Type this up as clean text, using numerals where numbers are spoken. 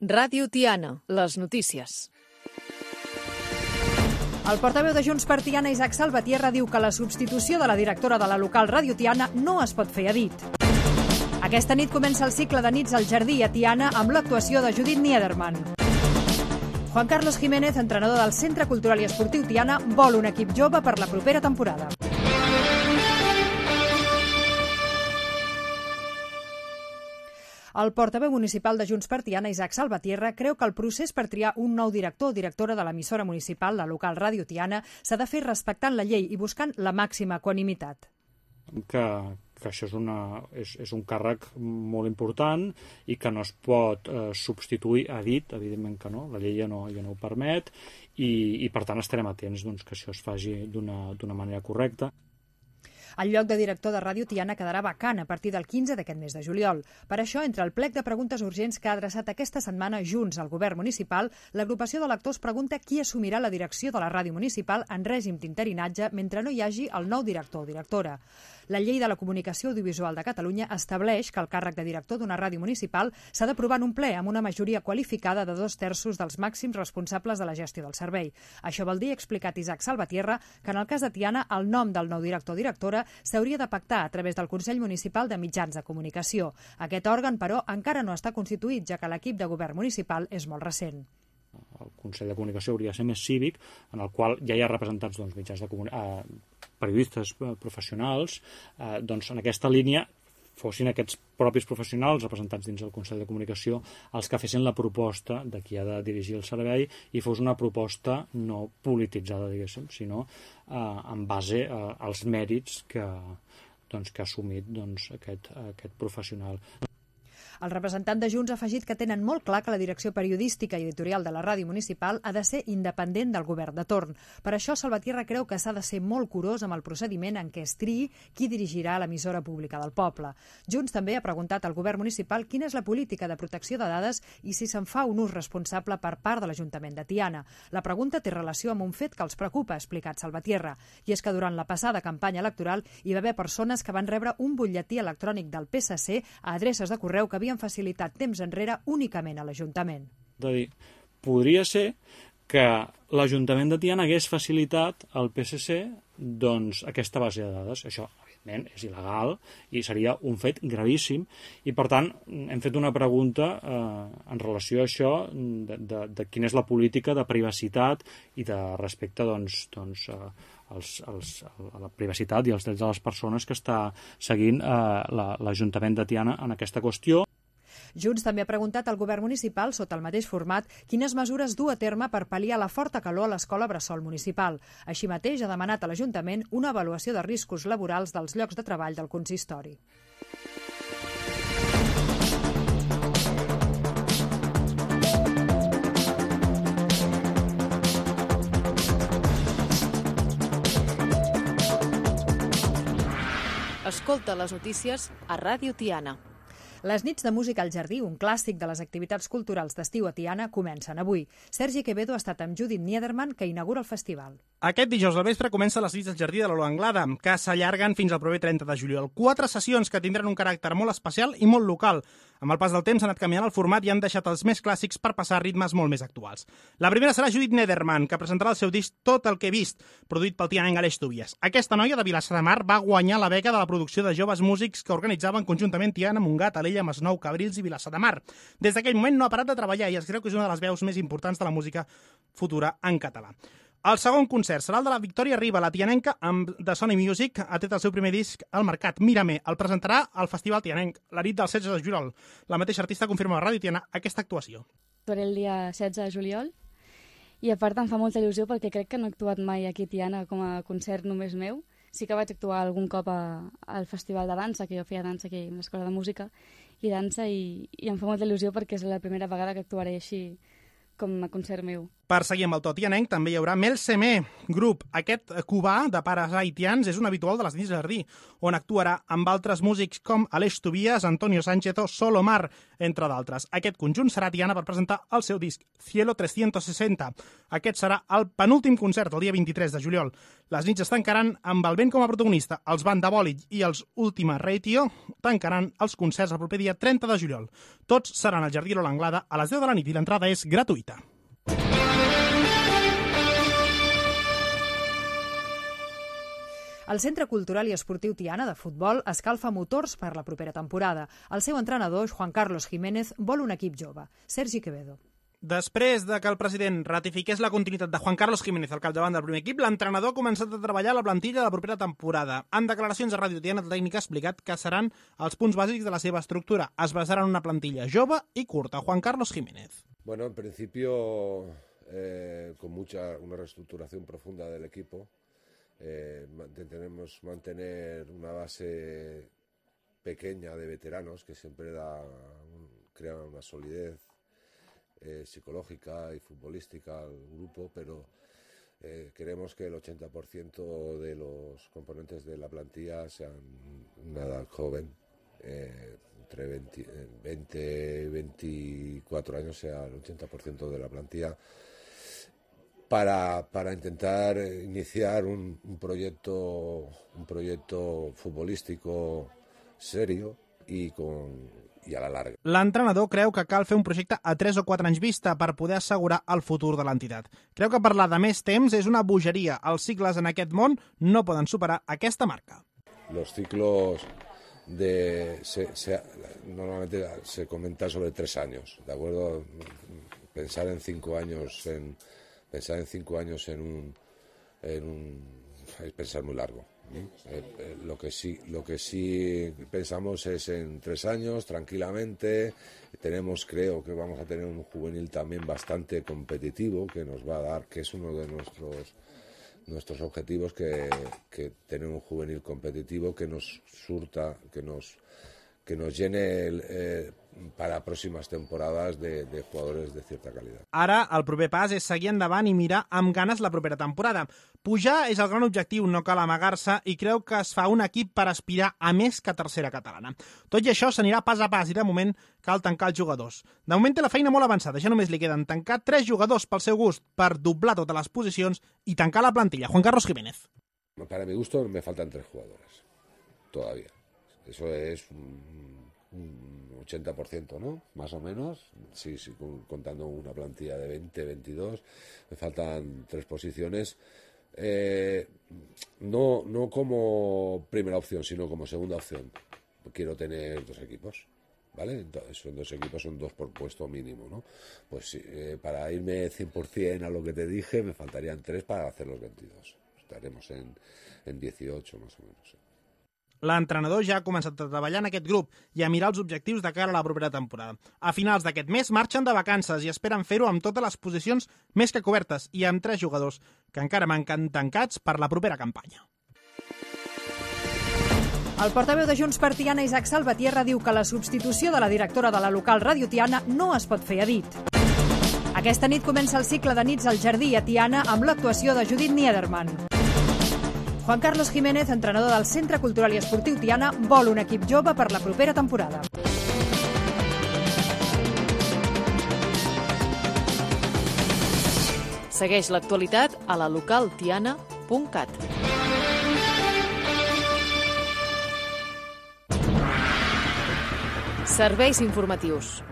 Ràdio Tiana, les notícies. El portaveu de Junts per Tiana, Isaac Salvatierra, diu que la substitució de la directora de la local Ràdio Tiana no es pot fer a dit. Aquesta nit comença el cicle de nits al Jardí a Tiana amb l'actuació de Judit Niederman. Juan Carlos Jiménez, entrenador del Centre Cultural i Esportiu Tiana, vol un equip jove per la propera temporada. El portaveu municipal de Junts per Tiana, Isaac Salvatierra, creu que el procés per triar un nou director o directora de l'emissora municipal, la local Ràdio Tiana, s'ha de fer respectant la llei i buscant la màxima equanimitat. Que això és un càrrec molt important i que no es pot substituir a dit, evidentment que no, la llei ja no ho permet i per tant estarem atents que això es faci d'una manera correcta. El lloc de director de Ràdio Tiana quedarà vacant a partir del 15 d'aquest mes de juliol. Per això, entre el plec de preguntes urgents que ha adreçat aquesta setmana Junts al govern municipal, l'agrupació d'electors pregunta qui assumirà la direcció de la ràdio municipal en règim d'interinatge mentre no hi hagi el nou director o directora. La llei de la comunicació audiovisual de Catalunya estableix que el càrrec de director d'una ràdio municipal s'ha d'aprovar en un ple amb una majoria qualificada de 2/3 dels màxims responsables de la gestió del servei. Això vol dir, ha explicat Isaac Salvatierra, que en el cas de Tiana el nom del nou director o directora s'hauria de pactar a través del Consell Municipal de Mitjans de Comunicació. Aquest òrgan, però, encara no està constituït, ja que l'equip de govern municipal és molt recent. El Consell de Comunicació hauria de ser més cívic, en el qual ja hi ha representats mitjans de periodistes professionals, en aquesta línia fossin aquests propis professionals representats dins del Consell de Comunicació els que fessin la proposta de qui ha de dirigir el servei i fos una proposta no polititzada, diguéssim, sinó en base als mèrits que ha assumit aquest professional. El representant de Junts ha afegit que tenen molt clar que la direcció periodística i editorial de la ràdio municipal ha de ser independent del govern de torn. Per això, Salvatierra creu que s'ha de ser molt curós amb el procediment en què es triï qui dirigirà l'emissora pública del poble. Junts també ha preguntat al govern municipal quina és la política de protecció de dades i si se'n fa un ús responsable per part de l'Ajuntament de Tiana. La pregunta té relació amb un fet que els preocupa, ha explicat Salvatierra, i és que durant la passada campanya electoral hi va haver persones que van rebre un butlletí electrònic del PSC a adreces de correu que havien facilitat temps enrere únicament a l'Ajuntament. Podria ser que l'Ajuntament de Tiana hagués facilitat al PSC aquesta base de dades. Això, evidentment, és il·legal i seria un fet gravíssim i, per tant, hem fet una pregunta en relació a això de quina és la política de privacitat i de respecte a la privacitat i els drets de les persones que està seguint l'Ajuntament de Tiana en aquesta qüestió. Junts també ha preguntat al govern municipal, sota el mateix format, quines mesures du a terme per pal·liar la forta calor a l'escola bressol municipal. Així mateix ha demanat a l'Ajuntament una avaluació de riscos laborals dels llocs de treball del consistori. Escolta les notícies a Ràdio Tiana. Les nits de música al Jardí, un clàssic de les activitats culturals d'estiu a Tiana, comencen avui. Sergi Quevedo ha estat amb Judit Niederman, que inaugura el festival. Aquest dijous al vespre comencen les nits del Jardí de l'Olo Anglada, que s'allarguen fins al proper 30 de juliol. 4 sessions que tindran un caràcter molt especial i molt local. Amb el pas del temps han anat canviant el format i han deixat els més clàssics per passar a ritmes molt més actuals. La primera serà Judit Niederman, que presentarà el seu disc Tot el que he vist, produït pel tianenc Aleix Tobias. Aquesta noia de Vilassar de Mar va guanyar la beca de la producció de joves músics que organitzaven conjuntament Tiana, Montgat, Alella, Masnou, Cabrils i Vilassar de Mar. Des d'aquell moment no ha parat de treballar i es creu que és una de les veus més importants de la música futura en català. El segon concert serà el de la Victòria Riba, la tianenca de Sony Music, ha tret el seu primer disc al mercat. Mírame, el presentarà al Festival Tianenc, la nit del 16 de juliol. La mateixa artista confirma a Ràdio Tiana aquesta actuació. Faré el dia 16 de juliol i a part em fa molta il·lusió perquè crec que no he actuat mai aquí a Tiana com a concert només meu. Sí que vaig actuar algun cop al Festival de Dansa, que jo feia dansa aquí a l'Escola de Música i dansa, i em fa molta il·lusió perquè és la primera vegada que actuaré així com a concert meu. Per seguir amb el to tianenc també hi haurà Mel Semé, grup. Aquest cubà de pares haitians és un habitual de les nits de jardí, on actuarà amb altres músics com Aleix Tobias, Antonio Sánchez o Solomar, entre d'altres. Aquest conjunt serà a Tiana per presentar el seu disc, Cielo 360. Aquest serà el penúltim concert, el dia 23 de juliol. Les nits es tancaran amb el vent com a protagonista. Els Banda Bòlid i els Ultima Ratio tancaran els concerts el proper dia 30 de juliol. Tots seran al Jardí de l'Anglada a les 10 de la nit i l'entrada és gratuïta. El Centre Cultural i Esportiu Tiana de futbol escalfa motors per la propera temporada. El seu entrenador, Juan Carlos Jiménez, vol un equip jove. Sergi Quevedo. Després de que el president ratifiqués la continuïtat de Juan Carlos Jiménez al capdavant del primer equip, l'entrenador ha començat a treballar a la plantilla de la propera temporada. En declaracions a Ràdio Tiana, el tècnic ha explicat que seran els punts bàsics de la seva estructura. Es basarà en una plantilla jove i curta. Juan Carlos Jiménez. Bueno, en principio, con una reestructuración profunda del equipo, intentaremos mantener una base pequeña de veteranos que siempre crea una solidez psicológica y futbolística al grupo, pero queremos que el 80% de los componentes de la plantilla sean una edad joven, entre 20 y 24 años sea el 80% de la plantilla, para intentar iniciar un proyecto futbolístico serio y a la larga. L'entrenador creu que cal fer un projecte a 3 o 4 anys vista per poder assegurar el futur de l'entitat. Creu que parlar de més temps és una bogeria. Els cicles en aquest món no poden superar aquesta marca. Los ciclos normalmente se comenta sobre 3 años, ¿de acuerdo? Pensar en 5 años es pensar muy largo. Lo que sí pensamos es en 3 años, tranquilamente. Creo que vamos a tener un juvenil también bastante competitivo, que nos va a dar, que es uno de nuestros objetivos, que tener un juvenil competitivo que nos surta, que nos llene para próximas temporades de jugadores de cierta calidad. Ara, el proper pas és seguir endavant i mirar amb ganes la propera temporada. Pujar és el gran objectiu, no cal amagar-se, i creu que es fa un equip per aspirar a més que tercera catalana. Tot i això s'anirà pas a pas i de moment cal tancar els jugadors. De moment té la feina molt avançada, ja només li queden tancar 3 jugadors pel seu gust per doblar totes les posicions i tancar la plantilla. Juan Carlos Jiménez. Para mi gusto me faltan 3 jugadores, todavía. Eso es un 80%, ¿no? Más o menos, sí, contando una plantilla de 20, 22, me faltan 3 posiciones, no como primera opción, sino como segunda opción. Quiero tener 2 equipos, ¿vale? Entonces, son 2 equipos, son 2 por puesto mínimo, ¿no? Pues para irme 100% a lo que te dije, me faltarían 3 para hacer los 22. Estaremos en 18 más o menos. L'entrenador ja ha començat a treballar en aquest grup i a mirar els objectius de cara a la propera temporada. A finals d'aquest mes marxen de vacances i esperen fer-ho amb totes les posicions més que cobertes i amb 3 jugadors que encara manquen tancats per la propera campanya. El portaveu de Junts per Tiana, Isaac Salvatierra, diu que la substitució de la directora de la local Ràdio Tiana no es pot fer a dit. Aquesta nit comença el cicle de nits al Jardí a Tiana amb l'actuació de Judit Niederman. Juan Carlos Jiménez, entrenador del Centre Cultural i Esportiu Tiana, vol un equip jove per la propera temporada. Segueix l'actualitat a la localtiana.cat. Serveis informatius.